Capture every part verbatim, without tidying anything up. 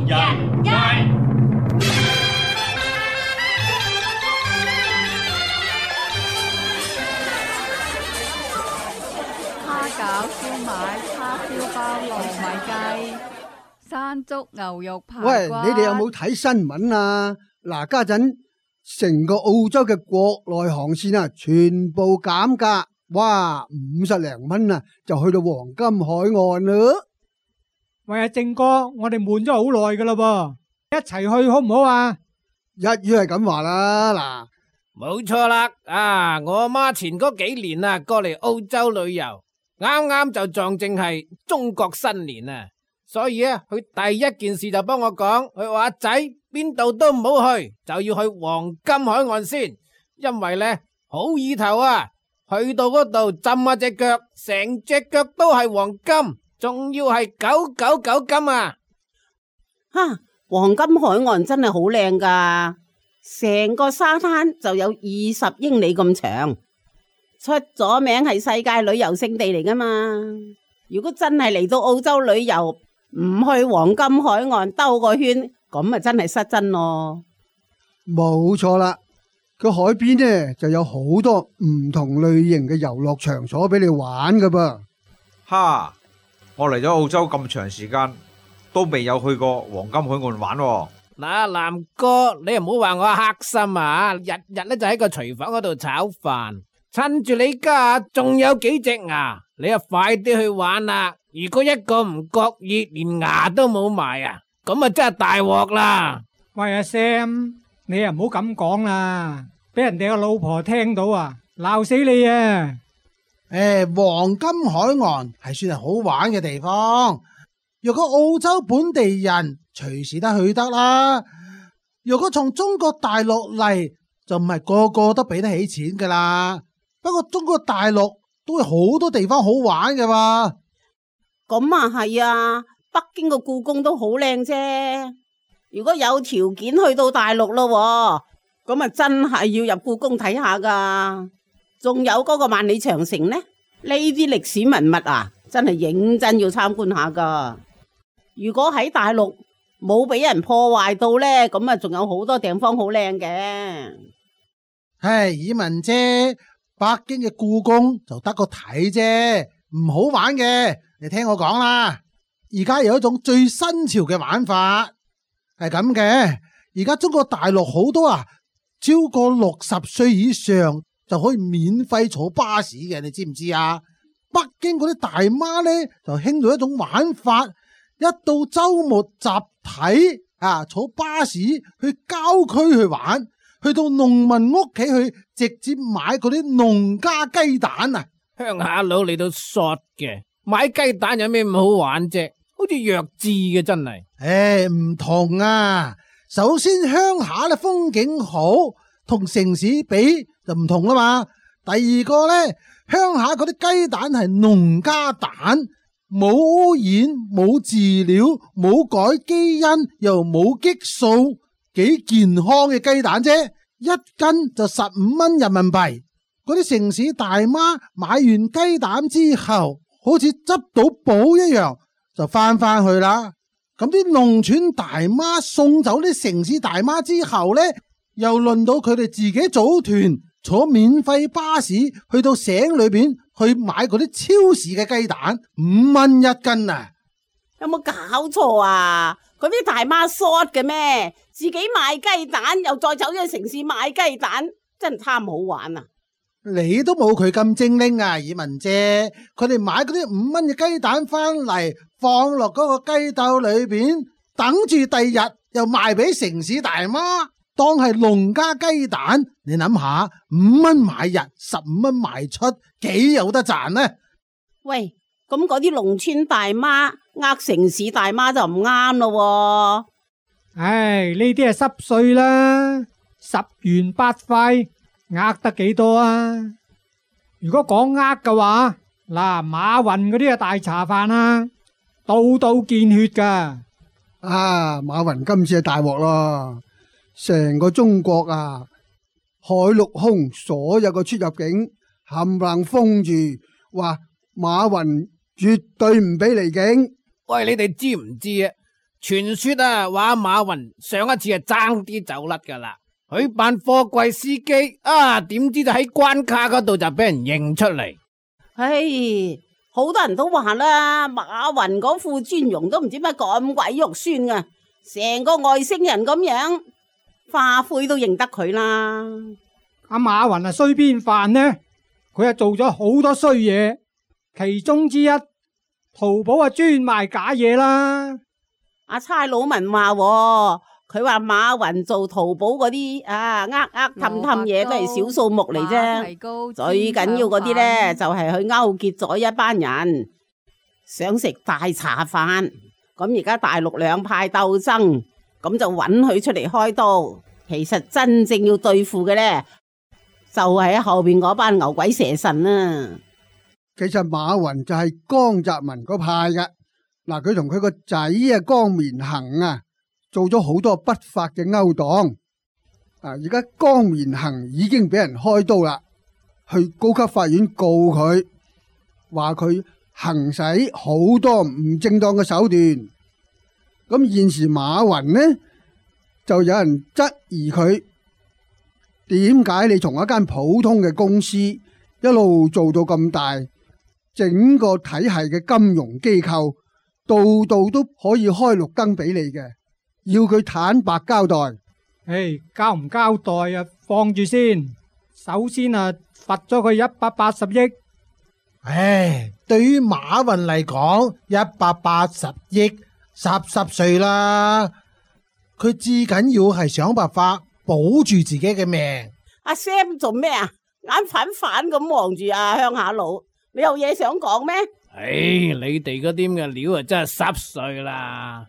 日日。蝦餃、燒賣、叉燒包、糯米雞、山竹牛肉排骨。喂，你哋有冇睇新聞啊？嗱，家陣成個澳洲嘅國內航線啊，全部減價，哇，五十零蚊啊，就去到黃金海岸啦。喂，阿正哥，我哋悶咗好耐噶啦噃，一齊去好唔好啊？一於係咁話啦，嗱，冇錯啦，啊，我阿媽前嗰幾年啊，過嚟澳洲旅遊，啱啱就撞正係中國新年啊，所以啊，佢第一件事就幫我講，佢話阿仔邊度都唔好去，就要去黃金海岸先，因為呢好意頭啊，去到嗰度浸下隻腳，成隻腳都係黃金，仲要係九九九金啊！哈，黃金海岸真係好靚噶，成個沙灘就有二十英里咁長，出咗名係世界旅遊勝地嚟噶嘛。如果真係嚟到澳洲旅遊，唔去黃金海岸兜個圈，咁啊真係失真咯。冇錯啦，個海邊呢就有好多唔同類型嘅遊樂場所俾你玩噶噃。哈，我嚟咗澳洲咁長時間，都未有去過黃金海岸玩喎。嗱，南哥，你又唔好話我黑心啊！日日咧就喺個廚房嗰度炒飯，趁住你家仲有幾隻牙，你啊快啲去玩啦！如果一個唔覺意連牙都冇埋啊，咁啊真係大鑊啦！喂，阿 Sam，你又唔好咁講啦，俾人哋個老婆聽到啊，鬧死你啊！誒，黃金海岸係算係好玩嘅地方。若果澳洲本地人隨時都去得啦。若果從中國大陸嚟，就唔係個個都俾得起錢噶啦。不過中國大陸都有好多地方好玩嘅嘛。咁啊係啊，北京個故宮都好靚啫。如果有條件去到大陸咯，咁啊真係要入故宮睇下噶。仲有嗰個萬里長城呢？呢啲歷史文物啊，真係認真要參觀下噶。如果喺大陸冇俾人破壞到呢，咁啊仲有好多地方好靚嘅。唉，以文姐，北京嘅故宮就得個睇啫，唔好玩嘅。你聽我講啦，而家有一種最新潮嘅玩法，係咁嘅。而家中國大陸好多啊，超過六十歲以上就可以免費坐巴士嘅，你知唔知啊？北京嗰啲大媽呢，就興到一種玩法，一到周末集體啊坐巴士去郊區去玩，去到農民屋企去直接買嗰啲農家雞蛋啊！鄉下佬嚟到索嘅，買雞蛋有咩咁好玩啫？好似弱智嘅真係。誒，唔同啊！首先鄉下咧風景好，同城市比就唔同啦嘛。第二個咧，鄉下嗰啲雞蛋係農家蛋，冇污染、冇飼料、冇改基因，又冇激素，幾健康嘅雞蛋啫，一斤就十五蚊人民幣。嗰啲城市大媽買完雞蛋之後，好似執到寶一樣，就翻返去啦。咁啲農村大媽送走啲城市大媽之後呢，又輪到佢哋自己組團坐免費巴士去到省裏邊去買嗰啲超市嘅雞蛋，五蚊一斤啊！有冇搞錯啊？嗰啲大媽 short 嘅咩？自己賣雞蛋又再走咗去城市買雞蛋，真係貪好玩啊！你都冇佢咁精靈啊，以文姐。佢哋買嗰啲五蚊嘅雞蛋翻嚟，放落嗰個雞竇裏邊，等住第二日又賣俾城市大媽，當係農家雞蛋。你諗下，五蚊買入，十五蚊賣出，幾有得賺呢？喂，咁嗰啲農村大媽呃城市大媽就唔啱咯。唉，呢啲係濕碎啦，十元八塊。呃得幾多啊？如果講呃嘅話，嗱，馬雲嗰啲啊大茶飯啊，度度見血噶。啊，馬雲今次係大鑊咯，成個中國啊，海陸空所有嘅出入境冚唪唥封住，話馬雲絕對唔俾離境。喂，你哋知唔知啊？傳說啊，話馬雲上一次係爭啲走甩噶啦，佢扮貨櫃司機啊，點知就喺關卡嗰度就俾人認出嚟。唉，好多人都話啦，馬雲嗰副尊容都唔知乜咁鬼肉酸噶，成個外星人咁樣，花灰都認得佢啦。阿馬雲啊，衰邊範呢？佢啊做咗好多衰嘢，其中之一，淘寶啊專賣假嘢啦。阿差佬文話，佢話馬雲做淘寶嗰啲啊，呃呃氹氹嘢都係小數目嚟啫，最緊要嗰啲呢，就係佢勾結咗一班人，想食大茶飯。咁而家大陸兩派鬥爭，咁就揾佢出嚟開刀。其實真正要對付嘅呢，就係喺後邊嗰班牛鬼蛇神啊。其實馬雲就係江澤民嗰派嘅。嗱，佢同佢個仔啊江綿恒啊做咗好多不法嘅勾當。啊，而家江綿恒已經俾人開刀啦，去高級法院告佢，話佢行使好多唔正當嘅手段。咁現時馬雲呢，就有人質疑佢，點解你從一間普通嘅公司一路做到咁大，整個體系嘅金融機構度度都可以開綠燈俾你嘅，要佢坦白交代。唉，交唔交代啊？放住先。首先啊，罰咗佢一百八十億。唉，對於馬雲嚟講，一百八十億濕濕碎啦。佢至緊要係想辦法保住自己嘅命。阿 Sam 做咩啊？眼反反咁望住阿鄉下佬，你有嘢想講咩？唉，你哋嗰啲咁嘅料啊，真係濕碎啦！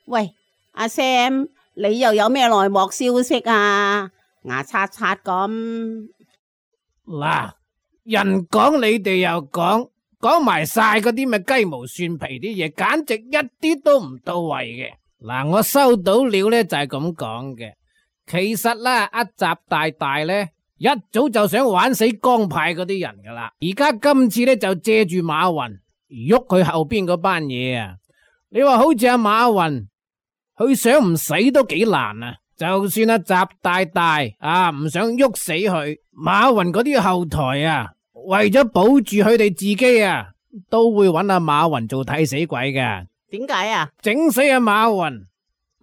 喂，阿 Sam，你又有咩內幕消息啊？牙刷刷咁。嗱，人講你哋又講，講埋晒嗰啲咩雞毛蒜皮啲嘢，簡直一啲都唔到位嘅。嗱，我收到料呢就係咁講嘅。其實啦，阿習大大呢，一早就想玩死江派嗰啲人噶啦，而家今次呢，就借住馬雲喐佢後邊嗰班嘢啊！你話好似阿馬雲，佢想唔死都幾難啊！就算阿習大大啊唔想喐死佢，馬雲嗰啲後台啊，為咗保住佢哋自己啊，都會揾阿馬雲做替死鬼嘅。點解啊？整死阿馬雲，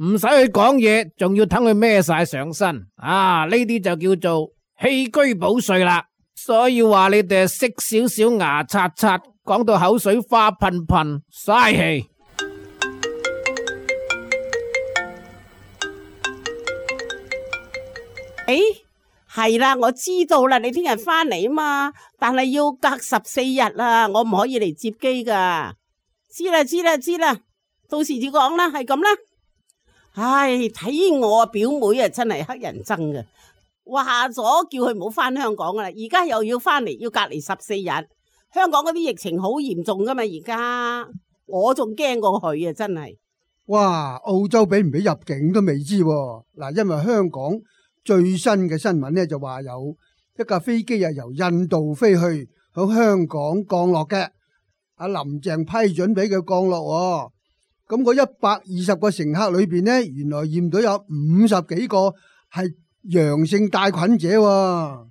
唔使去講嘢，仲要等佢孭晒上身啊！呢啲就叫做棄車保帥啦。所以話你哋識少少牙刷刷，講到口水花噴噴，嘥氣。誒，係啦，我知道啦，你聽日翻嚟啊嘛，但係要隔十四日啊，我唔可以嚟接機噶。知啦，知啦，知啦，到時至講啦，係咁啦。唉，睇我表妹啊，真係乞人憎嘅，話咗叫佢唔好翻香港噶啦，而家又要翻嚟，要隔離十四日。香港嗰啲疫情好嚴重噶嘛，而家我仲驚過佢啊，真係。哇，澳洲俾唔俾入境都未知喎。嗱，因為香港最新嘅新聞呢，就話有一架飛機啊由印度飛去響香港降落嘅，阿林鄭批准俾佢降落。咁嗰一百二十個乘客裏邊呢，原來驗到有五十幾個係陽性帶菌者喎。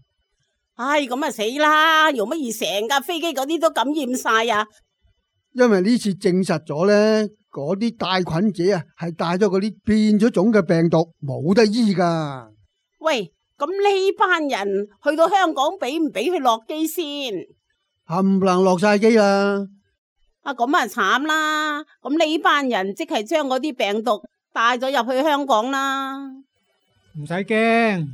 唉，咁啊死啦！用乜而成架飛機嗰啲都感染晒啊？因為呢次證實咗呢，嗰啲帶菌者啊係帶咗嗰啲變咗種嘅病毒，冇得醫噶。喂，咁呢班人去到香港俾唔俾佢落機先？冚唪唥落晒機啦！啊，咁啊慘啦！咁呢班人即係將嗰啲病毒帶咗入去香港啦。唔使驚，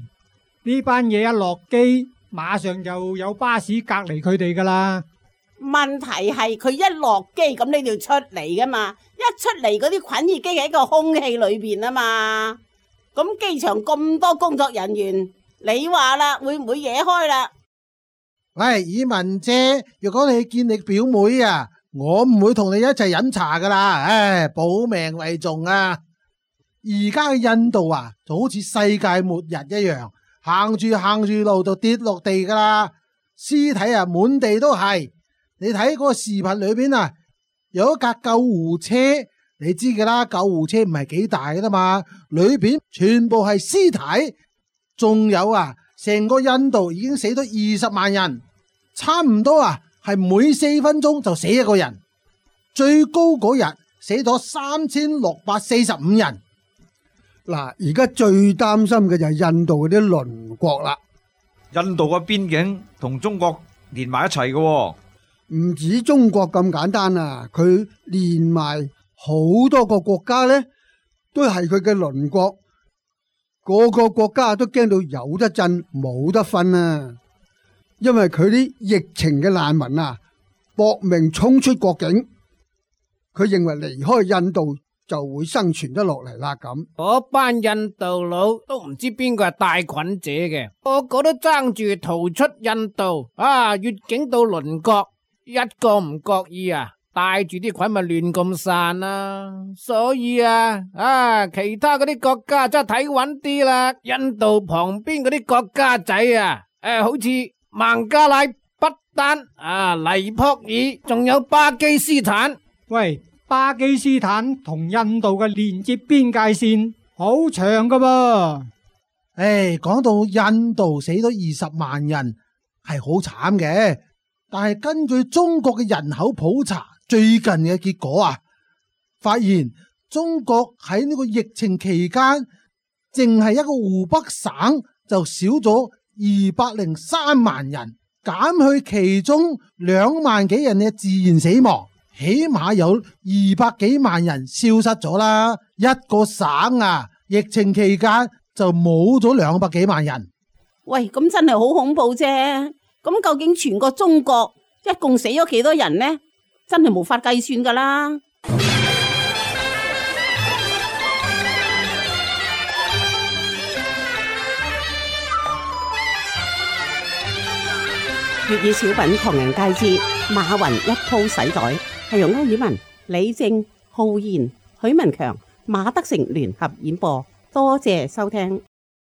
呢班嘢一落機，馬上就有巴士隔離佢哋噶啦。問題係佢一落機，咁你就出嚟噶嘛？一出嚟嗰啲菌已經喺個空氣裏邊啊嘛。咁機場咁多工作人員，你話啦，會唔會惹開啦？喂，以文姐，如果你見你表妹啊，我唔會同你一齊飲茶噶啦。唉，保命為重啊！而家嘅印度啊，就好似世界末日一樣，行住行住路就跌落地噶啦，屍體啊滿地都係。你睇嗰個視頻裏邊啊，有一架救護車你知噶啦，救護車唔係幾大噶嘛，裏邊全部係屍體，仲有啊，成個印度已經死咗二十萬人，差唔多啊，係每四分鐘就死一個人，最高嗰日死咗三千六百四十五人。嗱，而家最擔心嘅就係印度嗰啲鄰國啦。印度嘅邊境同中國連埋一齊嘅，唔止中國咁簡單啊，佢連埋好多個國家呢，都係佢嘅鄰國，個個國家都驚到有得震冇得瞓啊！因為佢啲疫情嘅難民啊，搏命衝出國境，佢認為離開印度就會生存得落嚟啦。咁嗰班印度佬都唔知邊個係帶菌者嘅，個個都爭住逃出印度啊！越境到鄰國，一個唔覺意啊，帶住啲菌咪亂咁散啦。所以啊，啊其他嗰啲國家真係睇穩啲啦。印度旁邊嗰啲國家仔啊，誒，好似孟加拉、不丹啊、尼泊爾，仲有巴基斯坦。喂，巴基斯坦同印度嘅連接邊界線好長噶噃。誒，講到印度死咗二十萬人係好慘嘅，但係根據中國嘅人口普查最近嘅結果啊，發現中國喺呢個疫情期間，淨係一個湖北省就少咗二百零三萬人，減去其中兩萬幾人嘅自然死亡，起碼有二百幾萬人消失咗啦。一個省啊，疫情期間就冇咗兩百幾萬人。喂，咁真係好恐怖啫！咁究竟全個中國一共死咗幾多人呢？真係無法計算噶啦！粵語小品唐人街之馬雲一鋪洗袋，係由歐爾文、李正、浩然、許文強、馬德成聯合演播，多謝收聽。